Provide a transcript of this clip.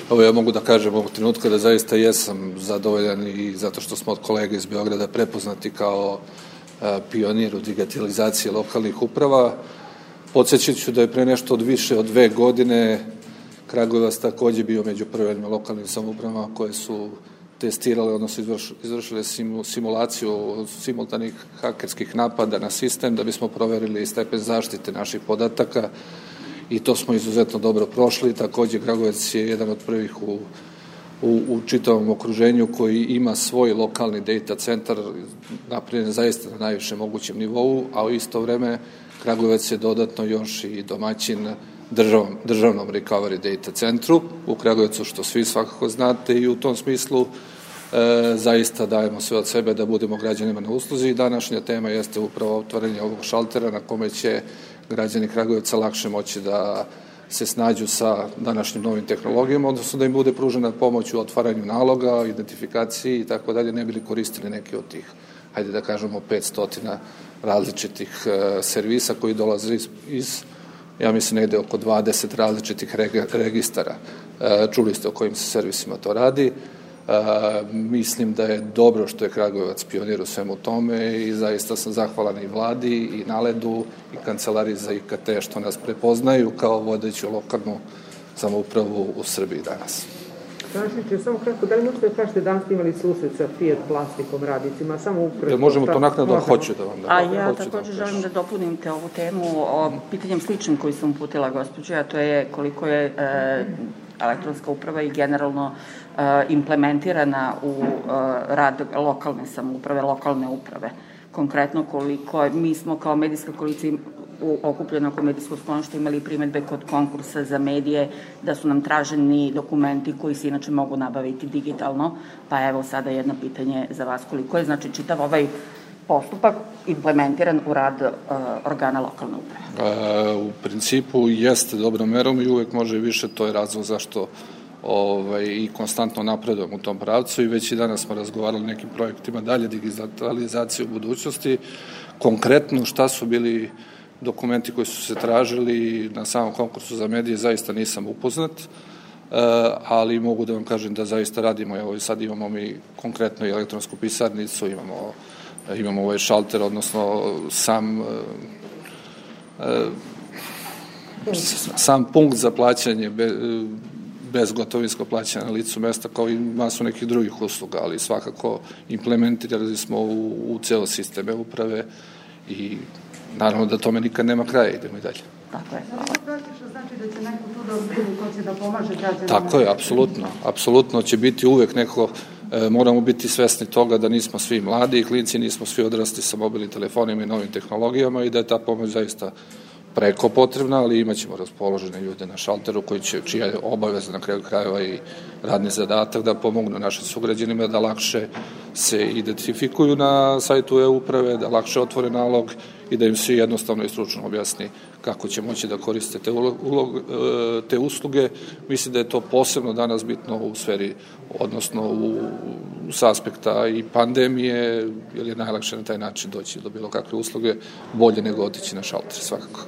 Ovo ja mogu da kažem ovog trenutka da zaista jesam zadovoljan i zato što smo od kolega iz Beograda prepoznati kao pionir u digitalizaciji lokalnih uprava. Podsjećat ću da je pre nešto više od 2 godine Kragujevac takođe bio među prvim lokalnim samoupravama koje su testirale, odnosno izvršile simulaciju simultanih hakerskih napada na sistem da bismo proverili stepen zaštite naših podataka i to smo izuzetno dobro prošli. Takođe, Kragujevac je jedan od prvih u čitavom okruženju koji ima svoj lokalni data centar napravljen zaista na najvišem mogućem nivou, a u isto vreme Kragujevac je dodatno još i domaćin državnom recovery data centru u Kragujevcu, što svi svakako znate, i u tom smislu zaista dajemo sve od sebe da budemo građanima na usluzi i današnja tema jeste upravo otvaranje ovog šaltera na kome će građani Kragujevca lakše moći da se snađu sa današnjim novim tehnologijama, odnosno da im bude pružena pomoć u otvaranju naloga, identifikaciji i tako dalje, ne bili koristili neke od tih, hajde da kažemo, 500 različitih servisa koji dolaze iz, ja mislim, negde oko 20 različitih registara. Čuli ste o kojim se servisima to radi. Mislim da je dobro što je Kragujevac pionir u svemu tome i zaista sam zahvalan i vladi i Naledu i kancelariji za IKT što nas prepoznaju kao vodeću lokalnu samoupravu u Srbiji danas. Tražniče, samo kratko, da li možete da kažete danas imali susret sa Fiat plastikom radnicima, samo upravo... Možemo to naknadno, hoću da vam da... A ja također želim da dopunim te ovu temu o pitanjem sličnim koji sam uputila gospođe, a to je koliko je elektronska uprava i generalno implementirana u rad lokalne samouprave, lokalne uprave. Konkretno koliko mi smo kao medijska koalicija okupljena oko medijskog skloništa imali primetbe kod konkursa za medije da su nam traženi dokumenti koji se inače mogu nabaviti digitalno, pa evo sada jedno pitanje za vas, koliko je znači čitav ovaj postupak implementiran u rad organa lokalne uprave? U principu jeste dobrom merom i uvek može više, to je razlog zašto i konstantno napredujemo u tom pravcu i već i danas smo razgovarali o nekim projektima dalje digitalizacije u budućnosti. Konkretno šta su bili dokumenti koji su se tražili na samom konkursu za medije zaista nisam upoznat, ali mogu da vam kažem da zaista radimo. Evo sad imamo mi konkretno i elektronsku pisarnicu, imamo ovaj šalter, odnosno sam punkt za plaćanje bezgotovinsko plaćanje na licu mesta, kao i masu nekih drugih usluga, ali svakako implementirali smo u ceo sistem e-uprave i naravno da tome nikad nema kraja, idemo i dalje. Tako je. Znači da će neko tu da vidi ko će da pomaže građanima? Tako je, apsolutno će biti uvek neko, moramo biti svesni toga da nismo svi mladi i klinci, nismo svi odrasli sa mobilnim telefonima i novim tehnologijama i da je ta pomoć zaista preko potrebna, ali imaćemo raspoložene ljude na šalteru čija je obaveza na kraju krajeva i radni zadatak da pomognu našim sugrađanima da lakše se identifikuju na sajtu e-uprave, da lakše otvore nalog i da im se jednostavno i stručno objasni kako će moći da koriste te usluge. Mislim da je to posebno danas bitno u sferi, odnosno s aspekta i pandemije, jer je najlakše na taj način doći do bilo kakve usluge, bolje nego otići na šalter, svakako.